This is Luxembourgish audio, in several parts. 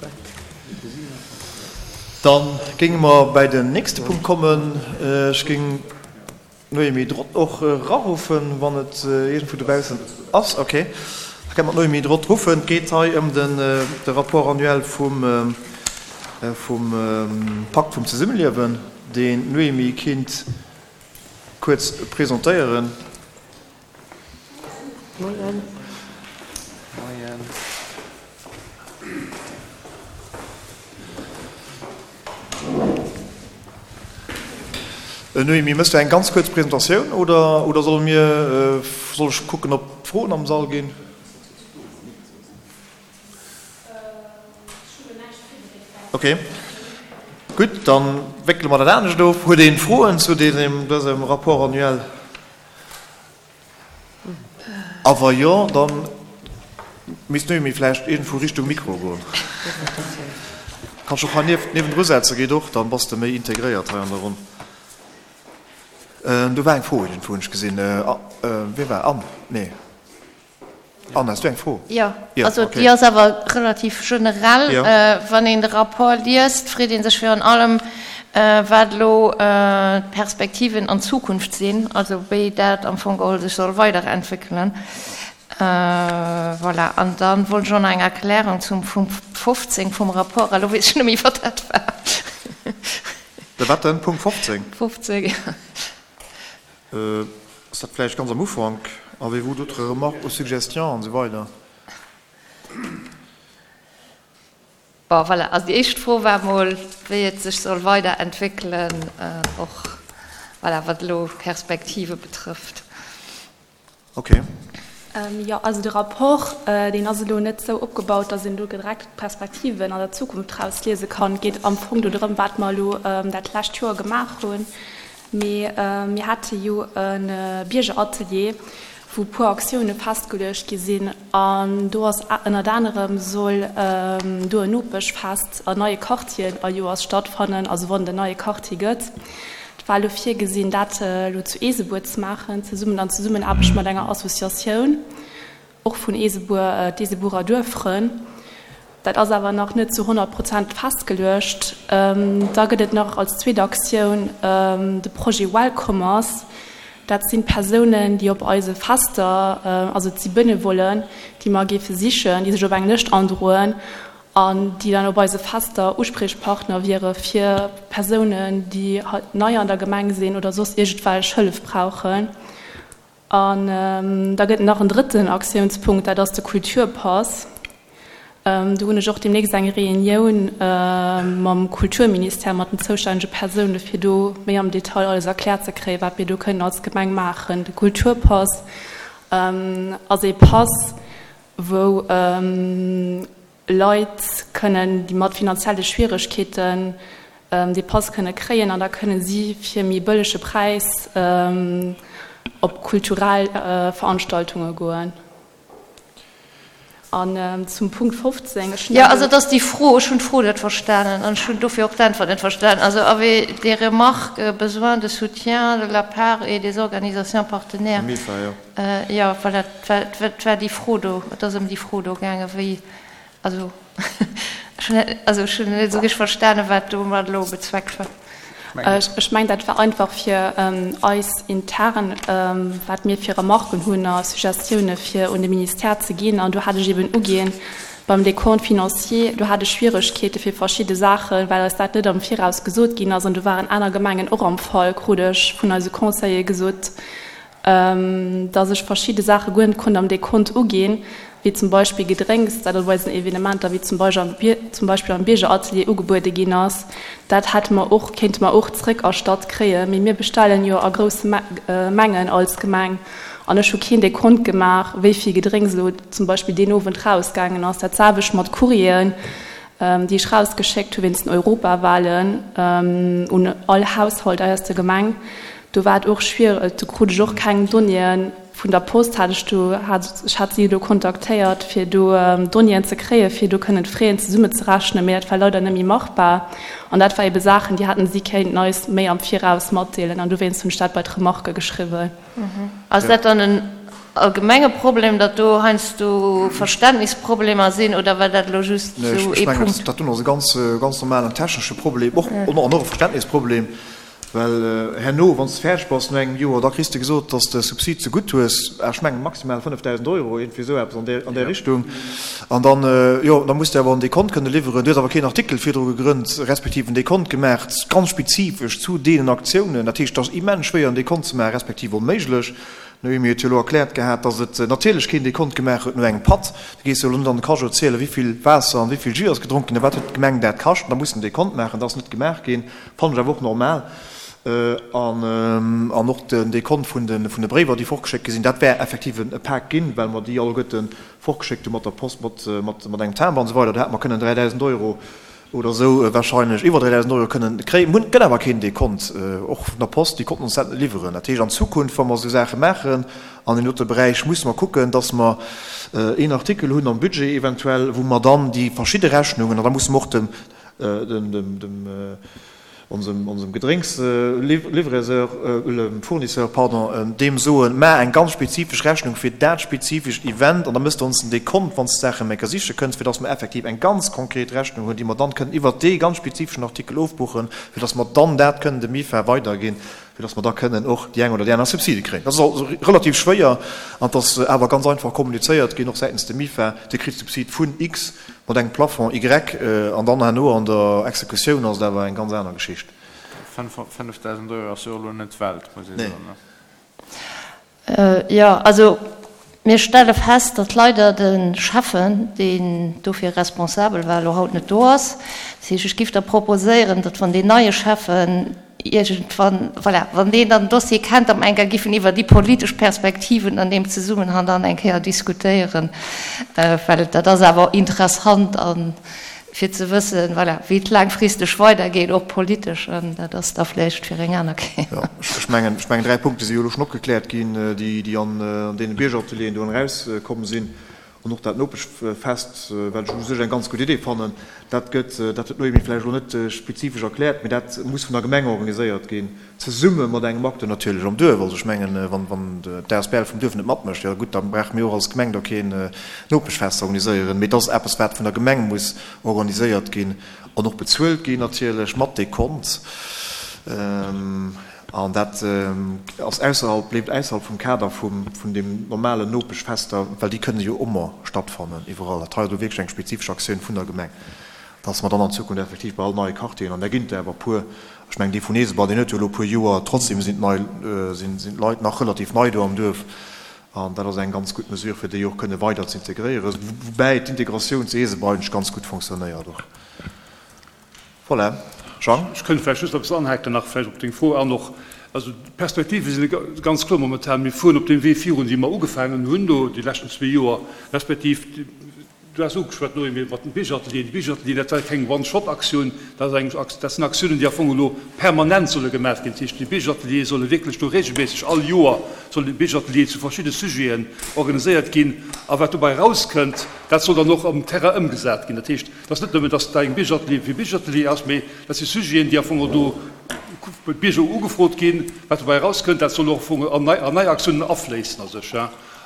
kucken. Da géinge mer bäi den nächste Punkt kommen. Ech géing d'Noémie Drot och eraruffen, wann et iergendwou dobaussen ass. Okay, da kënne mer d'Noémie Drot ruffen. Et geet hei ëm de Rapport annuel vum Pakt vum Zesummeliewen, deen d'Noémie kinnt kuerz presentéieren. Moien. Moien. Noémie, mëss du eng ganz kuerz Presentatioun oder, oder solle mir, soll ech kucken, ob Froen am Sall ginn? Ok, gutt, dann wéckele mer dat anescht of. Huet een Froen zu dësem Rapport annuel? A wa jo, da misst d'Noémie vläicht iergendwou Richtung Mikro goen. Kanns och hei niewendru setzen, geet och, dann bass de méi integréiert hei an der Ronn. Do war eng Fro iergendwou, hunn ech gesinn. Wie war? Anne? Nee. Anne, has du eng Fro? Jo, also déi ass awer relativ generell. Wann een de Rapport liest, freet ee sech virun allem, wat elo d'Perspektiven an d'Zukunft sinn, also wéi dat am Fong geholl sech soll weiderentwéckelen. Voilà. An da wollt ech och nach eng Erklärung zum Punkt 15 vum Rapport. Elo weess ech net méi, wat dat war. De wat denn? Punkt 15? 15, jo. Ass dat vläicht ganz am Ufank? Avez-vous d'autres remarques ou suggestions? An esou weider. Bon, voilà. Also déi éischt Fro war emol, wéi et sech soll weiderentwéckelen, och, voilà, wat elo d'Perspektive betrëfft. Ok. Jo, also de Rapport, deen ass elo net esou opgebaut, datt een do direkt d'Perspektiven an der Zukunft rausliese kann. Et geet am Fong do drëm, wat mer elo dat lescht Joer gemaach hunn. Mee mir hate jo e Biergeratelier, wou e puer Aktioune festgeluecht gi sinn. An do ass ënnert anerem soll do en Nopeschfest an neie Quartieren all Joers stattfannen, also wann et en neie Quartier gëtt. Et war elo virgesinn, dat elo zu Eesebuer ze maachen, zesummen an Zesummenaarbecht mat enger Associatioun, och vun Eesebuer, d'Eesebuerer Duerffrënn. Dat ass awer nach net zu 100 Prozent festgeluecht. Da gëtt et nach als zweet Aktioun de Projet Welcomers. Dat sinn Persounen, déi op eise Fester, also et si Benevollen, déi mer géife sichen, déi sech op eng Lëscht androen an déi dann op eise Fester Uspriechpartner wiere fir Persounen, déi nei an der Gemeng sinn oder soss iergendwelch Hëllef brauchen. An da gëtt et nach en drëtten Aktiounspunkt, dat ass de Kulturpass. Do hunn ech och deemnächst eng Reunioun mam Kulturministère, mat den zoustännege Persoune fir do méi am Detail alles erkläert ze kréien, wat mir do kënnen als Gemeng maachen. De Kulturpass ass ee Pass, wou Leit kënnen, déi mat finanzielle Schwieregkeeten, dee Pass kënne kréien an da kënne si fir méi bëllege Präis op kulturell Veranstaltunge goen. An zum Punkt 15, ech hunn Jo, also et ass déi Fro, ech hunn d'Fro net verstanen an ech hunn dofir och d'Äntwert net verstanen. Also avez des remarques, besoin de soutien de la part et des organisations partenaires. Mifa, jo. Jo, voilà, et war déi Fro do, et ass ëm déi Fro do gaangen, wéi, also ech hunn net, also ech hunn net esou richteg verstanen, wat domat elo bezweckt war. Ech mengen, dat war einfach fir eis intern, wat mir fir Remarken hunn a Suggestioune fir un de Ministère ze ginn. An do hat ech eben uginn, beim Décompte financier, do hat ech Schwieregkeete fir verschidde Saachen, well eis dat net am Viraus gesot ginn ass. An do waren aner Gemengen och am Fall, krut ech vun eise Conseillere gesot, dass ech verschidde Saache guer net konnt am Dekont uginn, wéi zum Beispill Gedrénks, dat op eisen Evenementer, wéi zum Beispill am Biergeratelier ugebuede ginn ass. Dat hätte mer och, kéinte mer och zréckerstatt kréien, mee mir bestellen jo a grousse Mengen als Gemeng an ech hu keen Dekont gemaach, wéi vill Gedrénks elo zum Beispill deen Owend rausgaangen ass. Dat selwecht mat Courrieren, déi ech rausgeschéckt hu wéinst den Europawahlen un all Haushalt aus der Gemeng. Do war et och schwiereg, do krut ech och keng Donnéeën vun der Post, hat ech do, hat, ech hat si do kontaktéiert, fir do Donnéeën ze kréien, fir do kënnen d'Fraisen zesummezerechnen, mee dat war leider net méi machbar. An dat war ebe Saachen, déi hätten si kéinten eis méi am Viraus matdeelen an dowéinst hunn ech dat bei d'Remarke geschriwwen. Ass dat dann en. allgemenge Problem, datt do heiansdo Verständnisproblemer sinn, oder war dat elo just esou ee Punkt? Ech mengen, dat do ass e ganz, ganz normalen technesche Problem och, an och e Verständnisproblem. Well herno, wann s de fäerdeg bass no engem Joer, da kriss de gesot, dass de Subsid zegutt hues, ech mengen maximal 5.000 Euro, iergendwéi esou eppes an där, an där Richtung. An dann, jo, da muss de awer en Dekont kënne liwweren. Du hues awer keen Artikel virdru gegrënnt, respektiv en Dekont gemaach, ganz spezifesch zu deenen Aktiounen. Dat heescht, et ass immens schwéier en Dekont ze maachen, respektiv onméiglech. D'Noémie huet jo elo erkläert gehat, dass et natierlech keen Dekont gemaach huet no engem Patt. Du gees jo elo net an de Cajot zielen, wéivill Waasser an wéivill Jus ass gedronk ginn a wat huet d'Gemeng dat kascht. An da muss en Dekont maachen. Dat ass net gemaach ginn. Fannen ech awer och normal. An och den Dekont vun de Bréiwer, déi fortgeschéckt gi sinn, dat wär effektiv e Pak ginn, well mer déi alleguerte fortgeschéckt hu mat der Post, mat engem Timbre an esou weider. Do hätte mer kënnen 3.000 Euro oder esou warscheinlech iwwer 3.000 Euro kënnen kréien. Mir hunn, gëtt awer keen Dekont, och vun der Post, déi konnten ons dat net liwweren. Dat heescht, an Zukunft, wa mer esou Saache maachen an deem dote Beräich, musse mer kucken, dass mer een Artikel hunn am Budget eventuell, wou mer dann déi verschidde Rechnungen, an da musse mer och dem, dem onsem Gedrénks-Livraiseur, Fournisseur, pardon, deem soen, Maach eng ganz spezifesch Rechnung fir dat spezifescht Event an da mëss de ons den Dekont, wann s de d'Saache méi ka siche kënns, fir dass mer effektiv eng ganz konkret Rechnung hunn, déi mer dann kënnen iwwert dee ganz spezifeschen Artikel ofbuchen, fir dass mer dann dat kënnen dem MIFA weiderginn, fir dass mer da kënnen och déi eng oder déi aner Subside kréien. Dat ass also relativ schwéier an et ass awer ganz einfach kommunizéiert ginn, och säitens dem MIFA, Dir kritt Subsid vun X mat engem Plafond Y an dann herno an der Exekutioun ass et awer eng ganz aner Geschicht. 5.000 Euro ass jo och elo net d'Welt, muss ee soen. Jo, also mir stelle fest, datt leider de Schäffen, deen dofir responsabel war, elo haut net do ass. Dat heescht, ech giff da proposéieren, datt wann deen neie Schäffen iergendwann, voilà, wann deen dann den Dossier kennt, datt mer eng Kéier giffen iwwer déi politesch Perspektiven an deem Zesummenhang dann eng Kéier diskutéieren, well dat ass awer interessant a fir ze wëssen, voilà, wéi et laangfristeg weidergeet, och politesch, an dat ass da vläicht fir eng aner Kéier. Jo, ech mengen, ech mengen, 3 Punkte si jo elo schonn opgekläert ginn, déi, déi an deene Biergeratelieren do erauskomm sinn. An och dat Nopeschfest, wat ech u sech eng ganz gutt Idee fannen, dat gëtt, dat huet d'Noémie vläicht elo net spezifesch erkläert, mee dat muss vun der Gemeng organiséiert ginn, zesumme mat engem Acteur natierlech am Duerf. Also ech mengen, wann, wann d'ASBL vum Duerf net matmécht, jo gutt, da brauche mir och als Gemeng do keen Nopeschfest ze organiséieren. Mee et ass eppes, wat vun der Gemeng muss organiséiert ginn an och bezuelt ginn natierlech, mat Dekont. An dat ass ausserhalb, bléift ausserhalb vum Kader vum, vun deem normalen Nopeschfester, well déi kënne jo ëmmer stattfannen iwwerall. Dat hei ass elo wierklech eng spezifesch Aktioun vun der Gemeng, dass mer dann an Zukunft effektiv bei all neie Quartieren, an där ginn et der awer e puer, ech mengen dee vun Eesebann, deen huet jo elo e puer Joer, trotzdem sinn d'nei, sinn, sinn d'Leit nach relativ nei do am Duerf, an dat ass eng ganz gutt Mesure, fir déi och kënne weider ze integréieren, woubäi d'Integratioun zu Eesebein eigentlech ganz gutt fonctionnéiert och. Voilà. Jean? Ech kënnt vläicht just eppes anhaken nach vläicht op deng Fro an och. Also d'Perspektive si ganz kloer momentan. Mir fueren op deem Wee virun, dee mer ugefaangen hunn do déi leschten zwee Joer, respektiv, du has ugeschwat, Noémie, mat den Biergeratelieren. Déi Biergeratelieren, dat war keng One-Shot-Aktioun, dat ass eng, dat sinn Aktiounen, déi am Fong elo permanent solle gemaach ginn. Dat heescht, déi Biergerateliere solle wierklech do regelméisseg all Joer sollen Biergeratelieren zu verschidde Sujeten organiséiert ginn. A wat dobäi erauskënnt, dat soll dann och am Terrain ëmgesat ginn. Dat heescht, Et ass net nëmmen, dass dat eng Biergeratelier fir Biergeratelier ass, mee dat si Sujeten, déi am Fong och do bei d'Bierger ugefrot ginn. Wat dobäi erauskënnt, dat soll och am Fong an nei, an nei Aktiounen afléissen a sech.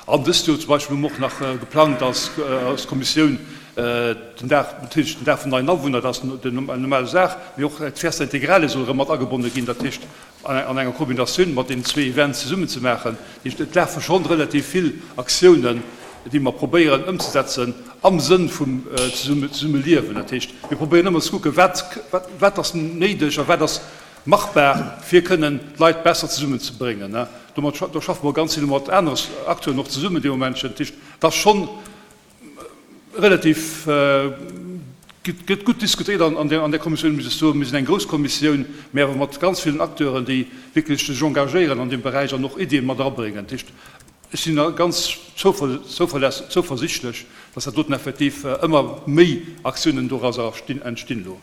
An dëst Joer zum Beispill hu mer och nach geplangt als, als Kommissioun den Dag, natierlech den Dag vun neien Awunner, dat ass déi normal Saach, mee och d'Fiesta Integrale soll erëm mat agebonne ginn. Dat heescht, an enger Kombinatioun mat deenen zwee Events zesummen ze maachen. Dat heescht, et lafe schonn relativ vill Aktiounen, déi mer probéieren ëmzesetzen am Sënn vum Zesummeliewen. Dat heescht, mir probéieren ëmmer ze kucken, wat, wat ass néideg a wat ass machbar, fir kënnen d'Leit besser zesummenzebréngen. Domat, do schaffe mer ganz vill mat anere Acteuren och zesummen dee Moment schonn. Dat heescht, et ass schonn Relativ gëtt gutt diskutéiert an där Kommissioun, muss ech soen. Mir sinn eng grouss Kommissioun, mä awer mat ganz villen Acteuren, déi wierklech sech engagéieren an deem Beräich an och Iddien mat erabréngen. Dat heescht, ech sinn ganz zouversichtlech, dass dat doten effektiv ëmmer méi Aktiounen dorauser entstinn elo.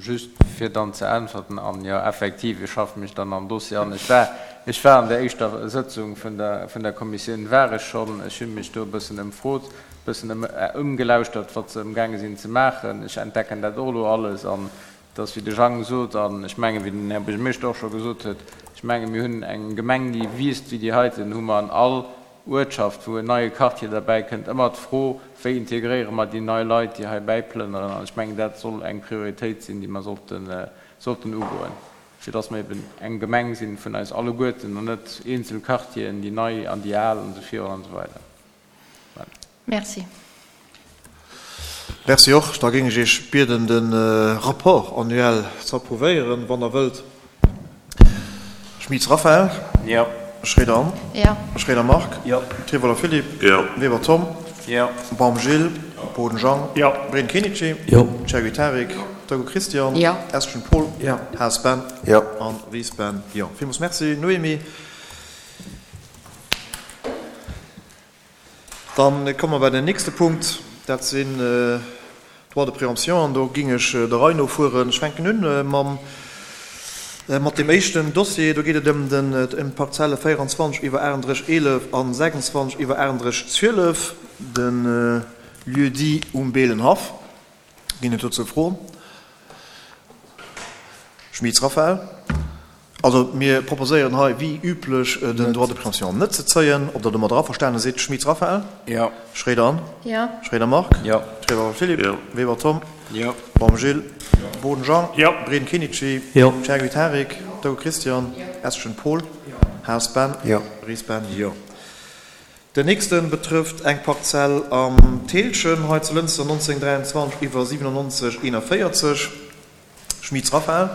Just fir dann ze äntwerten, an jo, effektiv, ech schaffe mech dann am Dossier an. Ech war, ech war an der éischter Sëtzung vun der, vun der Kommissioun war ech schonn. Ech hu mech do e bëssen ëmfrot, e bëssen ëm, ëmgelauschtert, wat se ëmgaange sinn ze maachen. Ech entdecken dat och elo alles an et ass, wéi de Jang sot, an ech mengen, wéi den Här Buergermeeschter och scho gesot huet, ech. Ech menge mir hunn eng Gemeng, déi wiisst wéi déi heiten, hu mer an all Uertschaft, wou en neie Quartier derbäi kënnt, ëmmer d'Fro, wéi integréiere mer déi nei Leit, déi hei bäiplënneren. An ech mengen, dat soll eng Prioritéit sinn, déi mer sollten, sollten ugoen, fir dass mer eben eng Gemeng sinn vun eis alleguerten an net eenzel Quartieren, déi nei an déi al an esou virun an esou weider. Voilà. Merci. Merci och. Da géing ech Iech bieden, de Rapport annuel ze approuvéieren, wann Der wëllt. Schmitz Raphaël. Jo. Schroeder Anne. Jo. Schroeder Marc. Jo. Trivoller Philippe. Jo. Weber Tom. Jo. Baum Gilles. Boden Jean. Jo. Breen Kenichi. Jo. Chergui Tarik. Togo Christian. Jo. Eschen Paul. Jo. Haas Ben. Jo. An Ries Ben. Jo. Villmools Merci, Noémie. Dann komme mer bei den nächste Punkt, dat sinn d'Droits de préemption. An do géing ech der Rei no fueren. Ech fänken un mam, mat deem éischten Dossier. Do geet et ëm den, ëm d'Parzelle 24 iwwer 38 11 an 26 iwwer 38 12, de Lieu-dit Um Beelenhaff. Ginn et dozou Froen? Schmitz Raphaël. Also mir proposéieren hei wéi üblech den Droit de préemption net ze zéien. Ob Der domadder averstane sidd? Schmitz Raphaël? Jo. Schroeder Anne? Jo. Schroeder Marc? Jo. Trevor Philippe? Jo. Weber Tom? Jo. Baum Gilles? Jo. Boden Jean? Jo. Breden Kenichi? Jo. Chergui Tarik? Togo Christian? Jo. Eschen Paul? Jo. Haas Ben? Jo. Ries Ben? Jo. Den nächste betrëfft eng Parzell am Thälchen hei zu Lënster, 1923 iwwer 97 41, Schmitz Raphaël,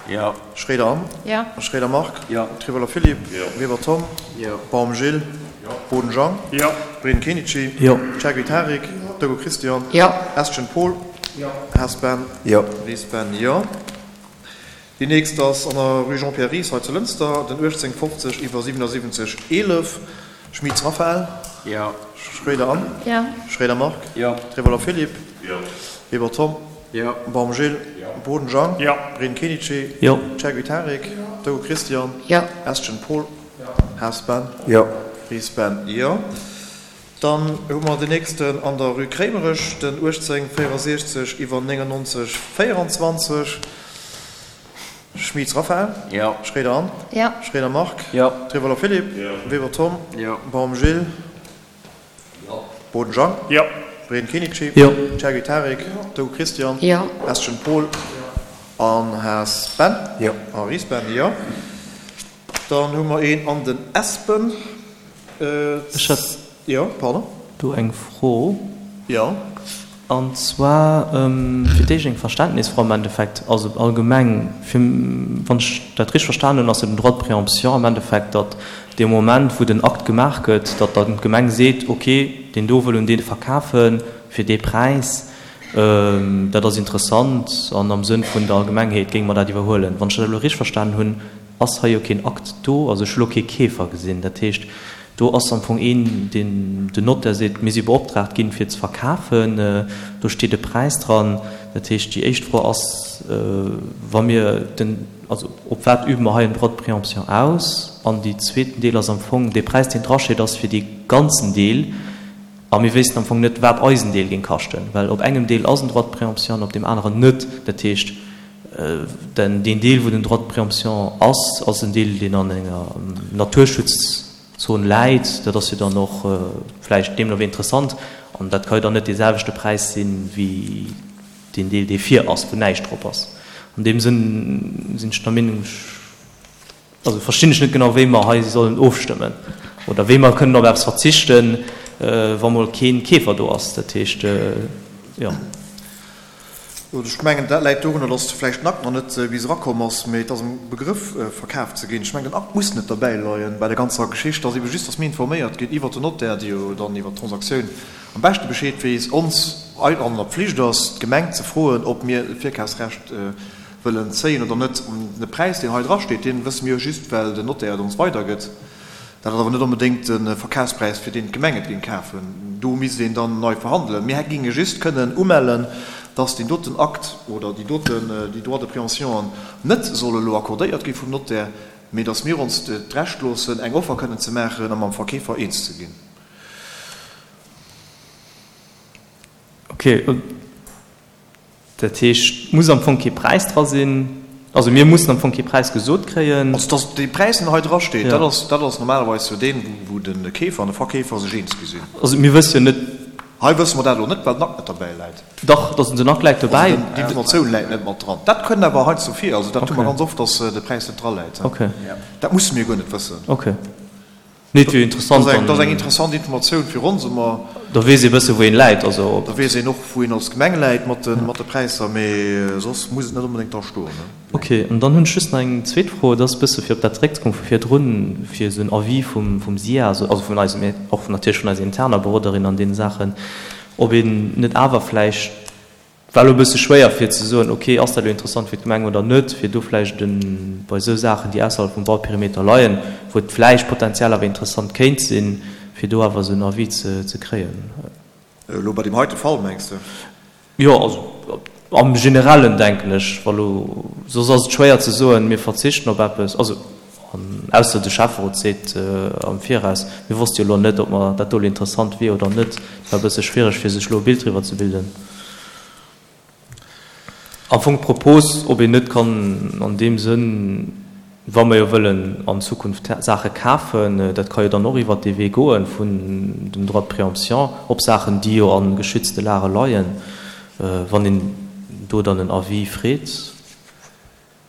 Jo. Schroeder Anne, Jo. Schroeder Marc, Jo. Trivoller Philippe, Jo. Weber Tom, Jo. Baum Gilles, Jo. Boden Jean, Jo. Breden Kenichi, Jo. Chergui Tarik, Togo Christian, Jo. Eschen Paul, Jo. Haas Ben, Jo. Ries Ben, Jo. Déi nächst ass an der Rue Jean-Pierre Ries hei zu Lënster, den 1850 iwwer 77 11, Schmitz Raphaël, Jo. Schroeder Anne, Jo. Schroeder Marc, Jo. Trevoller Philippe, Jo. Weber Tom, Jo. Baum Gilles, Jo. Boden Jean, Jo. Breen Kenichi, Jo. Chergui Tarik, Togo Christian, Jo. Eschen Paul, Jo. Haas Ben, Jo. Ries Ben, Jo. Dann hu mer den nächsten an der Rue Kréimerech, den 1864 iwwer 99 24, Schmitz Raphaël, Jo. Schroeder Anne, Jo. Schroeder Marc, Jo. Trevoller Philippe, Jo. Weber Tom, Jo. Baum Gilles, Jo. Boden Jean, Jo. Breen Kenichi, Jo. Chergui Tarik, Togo Christian, Jo. Eschen Paul an Haas Ben Jo. a Ries Ben, jo. Dann hu mer een an den Espen. Ech hätt Jo, pardon. do eng Fro. Jo. An zwar fir d'éischt eng Verständnisfro am Endeffekt, also allgemeng, fir, wann ech dat richteg verstanen hunn, ass jo den Droit de préemption am Endeffekt, datt dee Moment, wou den Akt gemaach gëtt, datt dann d'Gemeng seet, okay, deen do wëll un dee verkafe fir dee Präis, dat ass interessant an am Sënn vun der Allgemengheet géinge mer dat iwwerhuelen. Wann ech dat elo richteg verstanen hunn, ass hei jo keen Akt do, also ech hu lo kee Keefer gesinn. Dat heescht, do ass am Fong een, deen den Notaire seet, mir si beoptraagt ginn, fir ze verkafen, do steet e Präis dran. Dat heescht, déi éischt Fro ass, wa mir den, also op wat übe mer hei en Droit de préemption aus? An déi zweeten Deel ass am Fong, dee Präis, deen drasteet, ass fir dee ganzen Deel, a mir wéissten am Fong net, wat eisen Deel géing kaschten, well op engem Deel ass en Droit de préemption an op deem aneren net. Dat heescht, Denn deen Deel, wou den Droit de préemption ass, ass en Deel, deen an enger Naturschutzzon läit. Dat ass jo dann och vläicht deemno wéi interessant. An dat ka jo dann net dee selwechte Präis sinn, wéi deen Deel, dee vir ass, wou näischt drop ass. An deem Sënn sinn ech der Meenung, ech, also verstinn ech net genau, wéi mer hei sollen ofstëmmen oder wéi mer kënnen op eppes verzichten, wa mol kee Keefer do ass. Dat heescht, jo. Ech mengen, dat läit dorunner, datt vläicht den Akt nach net bis erakomm ass, mee et ass am Begrëff, verkaf ze ginn. Ech mengen, den Akt muss net derbäi leien bei der ganzer Geschicht. Et ass ebe just, datt mir informéiert ginn iwwert den Notaire, dee jo dann iwwert d'Transaktioun am beschte Bescheed weess, ons an der Pflicht ass, d'Gemeng ze froen, ob mir e Virkafsrecht wëllen zéien oder net. De Präis, deen hei drasteet, dee wësse mir jo just, well den Notaire et ons weidergëtt. Dat ass awer net onbedéngt de Verkafspräis, fir deen d'Gemeng et géing kafen. Do misst een dann nei verhandelen. Mir géinge just kënnen umellen, dass deen doten Akt oder déi doten, déi Droits de préemption net soll elo accordéiert gi vum Notaire, mee dass mir ons d'Recht loossen, eng Offer kënnen ze maachen a mam Verkeefer eens ze ginn. Okay. Dat heescht, et muss am Fong kee Präis dra sinn. Also mir mussen am Fong kee Präis gesot kréien. Also dass dee Präis, deen hei drasteet, dat ass, dat ass normalerweis jo deen, wou de Keefer an de Verkeefer sech eens gi sinn. Also mir wësse jo net. Hei wësse mer dat elo net, well den Akt net derbäi läit. Dach, dass den Akt läit dobäi. Also d'Informatioun läit net mat dran. Dat kënnt awer heiansdo vir. Also dat hu mer ganz oft, dass de Präis net draläit. Dat musse mir guer net wëssen. Okay. Nee, et wier interessant. Dat ass eng interessant Informatioun fir ons ëmmer. Da weess ee bësse wou een läit. Also ob. Da weess een och wou een als Gemeng läit mat de mat de Präisser, mee soss muss et net onbedéngt dra stoen. Ok, an dann hunn ech just nach eng zweet Fro. Dat ass e bësse fir op dat zeréckzekommen vu virdrun, fir esou en Avis vum vum SIA, also also vun eisem, och natierlech vun eiser interner Beroderin an deene Saachen, ob een net awer vläicht, War elo e bësse schwéier fir ze soen, ok, ass dat elo interessant fir d'Gemeng oder net, fir do vläicht e bei esou Saachen, déi ausserhalb vum Bauperimeter leien, wou et vläicht potenziell awer interessant kéint sinn, fir do awer esou en Avis ze kréien. Elo bei deem heite Fall, mengs de? Jo, also am Generellen denken ech, wa lo, soss ass et schwéier ze soen, mir verzichten op eppes, also an ausser de Schäfferot seet am Viraus, mir wosste jo elo net, ob mer dat do elo interessant wier oder net. Et war e bësse schwiereg, fir sech elo e Bild driwwer ze bilden. Am Fong d'Propos, ob een net kann an deem Sënn, wa mer jo wëllen an Zukunft Saache kafen, dat ka jo dann och iwwert dee Wee goen vun dem Droit de préemption op Saachen, déi jo a geschützte Lage leien, wann een do dann en Avis freet.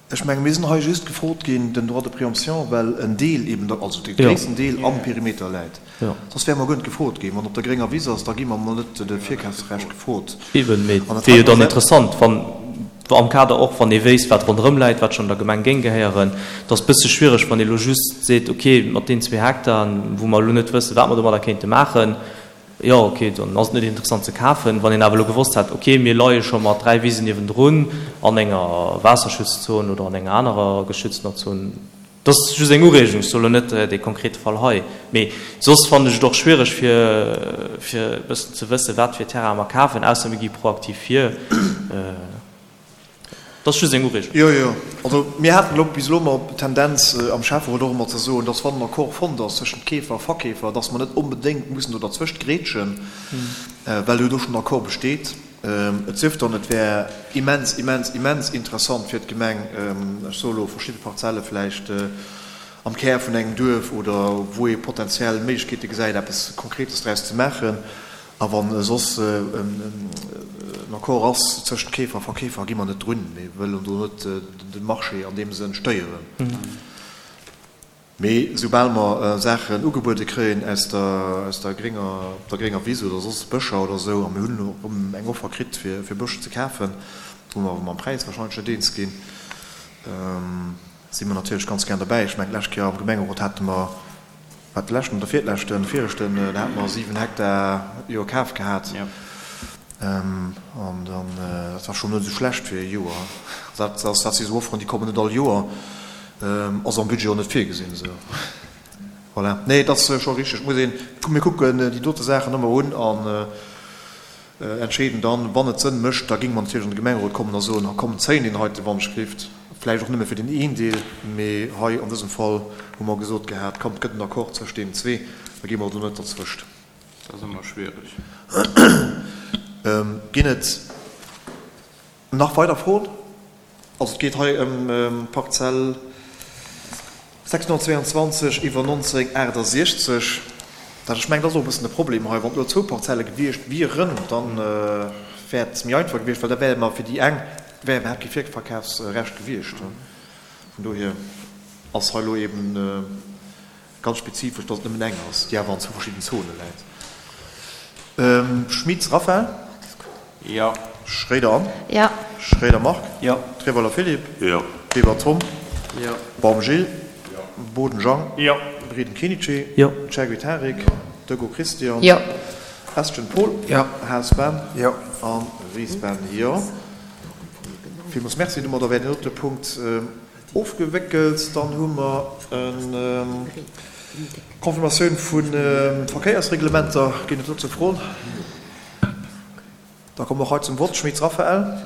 Ech menge mir sinn hei just gefrot ginn, den Droit de préemption, well en Deel eben, also de gréissten Deel am Perimeter läit. Soss wäre mer guer net gefrot ginn. Wann op der grénger Wiss ass, da gi mer emol net de Virkafsrecht gefrot. Eben, mee et wier jo dann interessant, wann, am Kader och, wann ee wéisst, wat ronderëm läit, wat schonn der Gemeng géing gehéieren. Et ass e bësse schwiereg, wann ee elo just seet, okay, mat deenen zwee Hektaren, wou mer elo net wëssen, wat mer domadder kéinte maachen, Jo, ok, dann ass et net interessant ze kafen. Wann een awer elo gewosst hätt, ok, mir leie scho mat 3 Wisen niewendrun an enger Waasserschutzzon oder an enger anerer geschütztener Zon, dat ass just eng Ureegung, ech soe lo net dee konkrete Fall hei, mee soss fannen ech et och schwiereg fir fir e bëssen ze wëssen, wat fir Terraine mer kafen, ausser mir gi proaktiv vir. Dat ass just eng Ureegung. Jo, jo. Also mir haten elo bis elo ëmmer d'Tendenz am Schäfferot och ëmmer ze soen, dass wann en Accord fonnt ass tëschent Keefer a Verkeefer, dass mer net onbedéngt mussen do derzwëscht grätschen, well jo do schonn en Accord besteet. Et sief dann, et wär immens, immens, immens interessant fir d'Gemeng, ech soe elo verschidde Parzelle vläicht am Kär vun engem Duerf oder wou ee potenziell Méiglechkeete gesäit, eppes Konkretes draus ze maachen. A wa soss en Accord ass tëschent Keefer a Verkeefer, gi mer net drun. Mir wëllen do net de Marché an deem Sënn stéieren. Mee soubal mer Saachen ugebuede kréien aus der grénger, op der grénger Wiss oder soss Bëscher oder esou, a mir hunn elo erëm eng Offer kritt fir Bësch ze kafen, wou mer awer mam Präis wahrscheinlech net eens ginn, si mer natierlech ganz gär derbäi. Ech mengen, d'lescht Kéier am Gemengerot hate mer, wat de leschten oder virleschten, de viregten, do hate mer 7 Hektar jo kaf gehat. An dann, dat war schonn net esou schlecht fir e Joer. Dat ass, dat si sou Offeren, déi kommen net all Joer, ass am Budget och net virgesinn esou. Voilà. Nee, et ass scho richteg, et muss een, mir kucken déi dote Saachen ëmmer un an Entscheeden dann, wann et Sënn mécht, da géinge mer natierlech an de Gemengerot kommen a soen, komm, zéien deen heite Wandschrift, vläicht och nëmme fir deen een Deel, mee hei an dësem Fall hu mer gesot gehat, komm, et gëtt en Accord zwëscht deenen zwee, da gi mer do net derzwëscht. Dat ass ëmmer schwierig. Ginn et nach weider Froen? Also et geet hei ëm d'Parzell 622 iwwer 1968. Dat, ech mengen, dat ass och e bëssen de Problem hei. Wann et elo zwou Parzelle gewiescht wieren, da wär et méi einfach gewiescht, well da wär mer fir déi eng wär iwwerhaapt kee Virverkafsrecht gewiescht. Vun dohier ass hei elo eben Ganz spezifesch, dass et nëmmen eng ass, déi awer an zwou verschidden Zone läit. Schmitz Raphaël. Jo. Schréider Anne. Jo. Schréider Marc. Jo. Treweiler Philippe. Jo. Weber Tom. Jo. Baum Gilles. Jo. Boden Jang. Jo. Breden Kenichi. Jo. Chergui Tarik. Degaux Christian. Jo. Estgen Paul. Jo. Haas Ben. Jo. A Ries Ben. Jo. Villmools Merci. Domadder wär deen dote Punkt Ofgewéckelt. Dann hu mer eng Confirmatioun vu Verkéiersreglementer. Ginn et dozou Froen? Da komme mer och hei zum Vott. Schmitz Raphaël.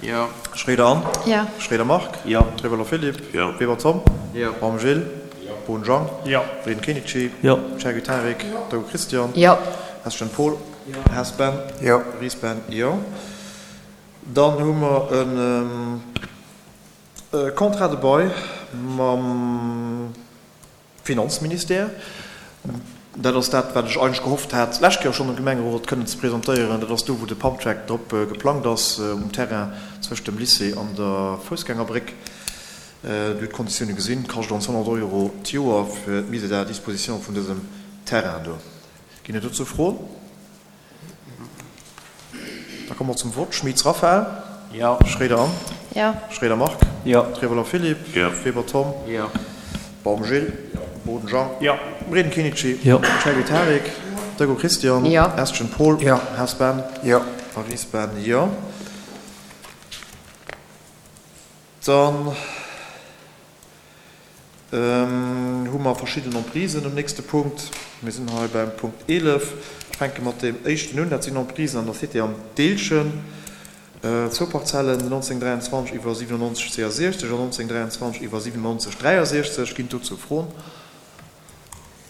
Jo. Schroeder Anne. Jo. Schroeder Marc. Jo. Trewello Philippe. Jo. Weber Tom. Jo. Baum Gilles. Jo. Bohn Jean. Jo. Breden Kenichi. Jo. Chergui Tarik. Jo. Deugaux Christian. Jo. Hesschen Paul. Jo. Haas Ben. Jo. Ries Ben. Jo. Dann hu mer en. Contrat de bail mam Finanzministère. Dat ass dat, wat ech eigentlech gehofft hat, d'lescht Kéier schonn dem Gemengerot kënnen ze presentéieren. Dat ass do, wou de Pumptrack drop geplangt ass, um Terrain zwëscht dem Lycée an der Foussgängerbréck. Dir hutt d'Konditioune gesinn, kascht ons 100 Euro d'Joer fir d'Mise à disposition vun dësem Terrain do. Ginn et dozou Froen? Da komme mer zum Vott. Schmitz Raphaël. Jo. Schroeder Anne. Jo. Schroeder Marc. Jo. Trevoller Philippe. Jo. Weber Tom. Jo. Baum Gilles. Jo. Boden Jean. Jo. Breden Kinichi. Jo. Cherry Tarik. Dego Christian. Jo. Estgen Paul. Jo. Haas Ben. Jo. A Ries Ben. Jo. Dann hu mer verschidden Emprisen um nächste Punkt. Mir sinn hei beim Punkt 11. Ech fänke mat deem éischten un. Dat sinn Emprisen an der Cité Am Deelchen. Zwou Parzellen, 1923 iwwer 97 62 an 1923 iwwer 97 63. Ginn dozou Froen?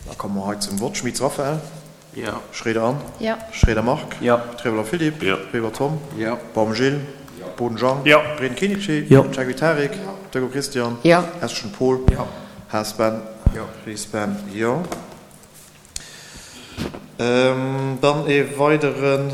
Da komme mer hei zum Vott. Schmitz Raphaël. Jo. Schroeder Anne. Jo. Schroeder Marc. Jo. Trevoller Philippe. Jo. Weber Tom. Jo. Baum Gilles. Jo. Boden Jean. Jo. Breden Kinici. Jo. Chergui Tarik. Jo. Dego Christian. Jo. Eschen Paul. Jo. Haas Ben. Jo. Ries Ben. Jo. Dann ee weideren.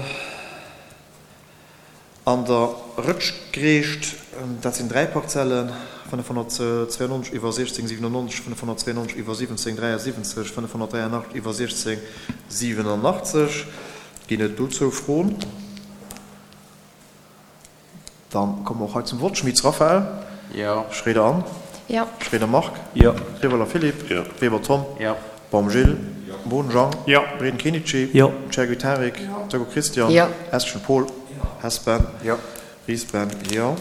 An der Rëtschgreecht, dat sinn 3 Parzellen, 592 iwwer 1697, 592 iwwer 1773, 583 iwwer 1687. Ginn et dozou Froen? Dann komme mer och hei zum Vott. Schmitz Raphaël. Jo. Schroeder Anne. Jo. Schroeder Marc. Jo. Rivoller Philippe. Jo. Weber Tom. Jo. Baum Gilles. Jo. Boden Jean. Jo. Breden Kenichi. Jo. Chergui Tarik. Jo. Dögo Christian. Jo. Eschen Paul. Hess Ben. Jo. Ries Ben. Jo.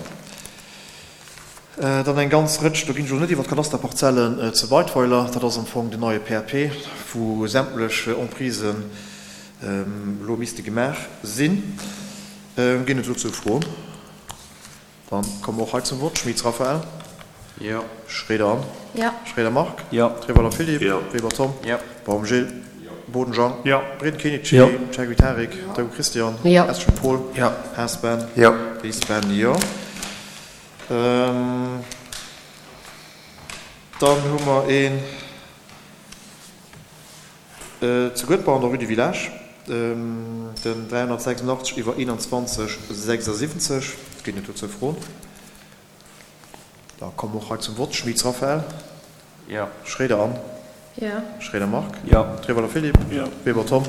Dann eng ganz Rëtsch, do ginn ech elo net iwwer d'Kadasterparzellen zu Weidweiler, dat ass am Fong den neie PAP, wou sämtlech Emprisen elo misste gemaach sinn. Ginn et dozou Froen? Dann komme mer och hei zum Vott. Schmitz Raphaël. Jo. Schroeder Anne. Jo. Schroeder Marc. Jo. Trevoller Philippe. Jo. Weber Tom. Jo. Baum Gilles. Jo. Boden Jean. Jo. Breden Kenichi. Jo. Chergui Tarik. Jo. Dögo Christian. Jo. Eschen Paul. Jo. Haas Ben. Jo. Ries Ben. Jo. Dann hu mer een. Zu Guedber an der Rue du Village, den 386 iwwer 21 76. Ginn et dozou Froen? Da komme mer och hei zum Vott. Schmitz Raphaël. Jo. Schroeder Anne. Jo. Schroeder Marc. Jo. Trevoller Philippe. Jo. Weber Tom.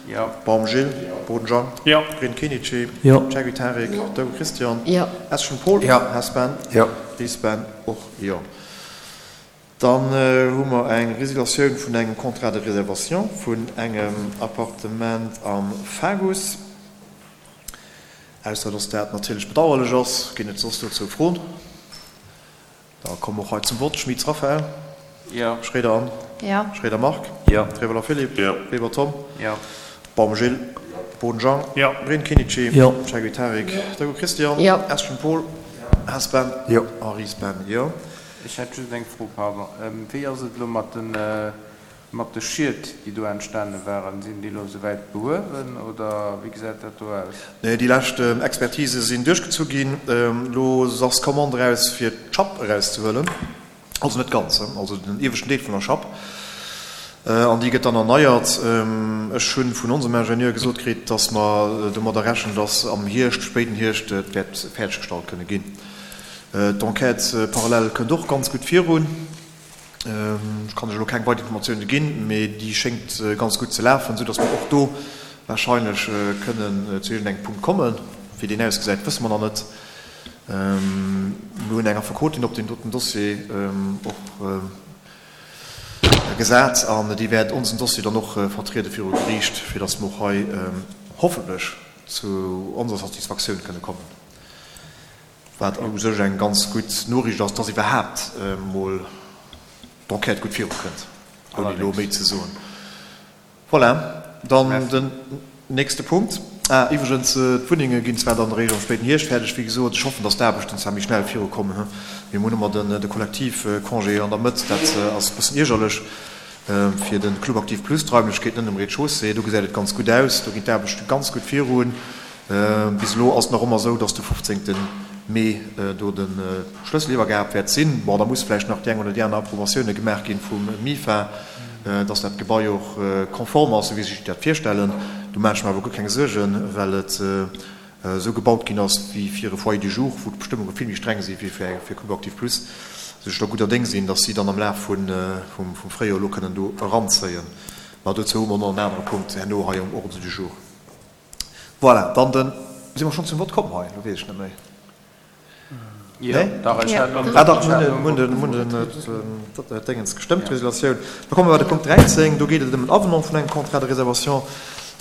Jo. Baum Gilles. Jo. Boden Jean. Jo. Breen Kenichi. Jo. Chergui Tarik. Jo. Dögo Christian. Jo. Eschen Paul. Jo. Hess Ben. Jo. Ries Ben. Och jo. Dann hu mer eng Résiliatioun vun engem Contrat de réservation vun engem Appartement am Fagus. Ausser dass dat natierlech bedauerlech ass, ginn et soss dozou Froen? Da komme mer och hei zum Vott. Schmitz Raphaël. Jo. Schroeder Anne. Jo. Schroeder Marc. Jo. Trevoller Philippe. Jo. Weber Tom. Jo. Baum Gilles. Jo. Boden Jean. Jo. Breen Kinici. Jo. Chergui Tarik. Jo. Dögo Christian. Jo. Eschen Paul. Haas Ben. Jo. A Ries Ben. Jo. Ech hätt just eng Fro, pardon. Wéi ass et elo mat de, mat de Schied, déi do entstane waren? Sinn déi elo esouwäit behuewen oder wéi gesäit dat do aus? Nee, déi lescht Expertise sinn duerchgezu ginn. Elo ass d'Commande eraus, fir d'Schapp erauszehuelen. Also net ganz, also den ieweschten Deel vun der Schapp. An déi gëtt dann erneiert. Ech hu vun onsem Ingenieur gesot kritt, dass mer domadder rechnen, dass am Hierscht, spéiden Hierscht, et wäert fäerdeggestallt kënne ginn. D'Enquête parallèle kënnt och ganz gutt virun. Ech kann lech elo keng weider Informatioune ginn, mee déi schéngt ganz gutt ze lafen, soudass mer och do warscheinlech kënnen zu iergendengem Punkt kommen. Wéi deen ausgesäit, wësse mer nach net. Mir hunn eng Affekotin op deem doten Dossier och gesat an déi wäert onsen Dossier dann och vertriede viru Geriicht, fir datt mer och hei hoffentlech zu onser Satisfaktioun kënne kommen. Wat u sech eng ganz gutt Noriicht ass, dass iwwerhaapt emol d'Enquête gutt virukënnt, ouni elo méi ze soen. Voilà, dann den nächste Punkt. Ah, iwwregens, d'Wunnenge ginn zwar dann eréischt am spéiden Hierscht fäerdeg, wéi gesot. Ech hoffen, dass d'Aarbechten zwar méi schnell virukommen, mee mir hunn ëmmer de Kollektivcongé an der Mëtt, dat ass e bëssen iergerlech fir de Club Aktiv Plus. D'Raimlechkeeten ënnen um Rez-de-chaussée, do gesäit et ganz gutt aus, do ginn d'Aarbechte ganz gutt virun. Bis elo ass et nach ëmmer esou, dass de 15. Mee do de Schlësseliwwergab wäert sinn. Bon, da muss vläicht nach déi eng oder déi aner Approbatioune gemaach ginn vum MIFA, dass dat Gebai och konform ass, esou wéi si sech dat virstellen. Do maache ech mer awer guer keng Suergen, well et esou gebaut ginn ass wéi fir e Foyer du jour, wou d'Bestëmmunge vill méi streng si wéi fir Club Actif Plus, esou ech da gudder Déng sinn, dass si dann am Laf vum Fréijoer elo kënnen do eranzéien. Mä dozou hu mer nach en anere Punkt herno hei um Ordre du jour. Voilà, dann den, si mer schonn zum Vott komm hei? Elo weess ech net méi. Jo, dach, ech hat Ah dach, mir hunn den, mir hunn den Déngens gestëmmt, d'Resolutioun. Da komme mer bei de Punkt 13, do geet et ëm en Avenant vun engem Contrat de réservation.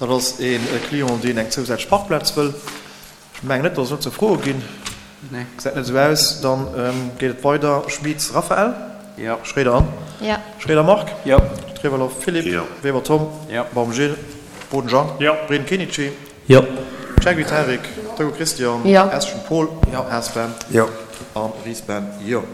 Dat ass e Client, deen eng zousätzlech Parkplaz wëll. Ech mengen net, datt et dozou Froe ginn. Gesäit net esou aus. Dann geet et weider. Schmit Raphaël. Jo. Schroeder Anne. Jo. Schroeder Marc. Jo. Trevelo Philippe. Jo. Weber Tom. Jo. Baum Gilles. Boden Jean. Jo. Breden Kenichi. Jo. Chergui Tarik. Togo Christian. Jo. Eschen Paul. Jo. Haas Ben. Jo. An Ries Ben. Jo.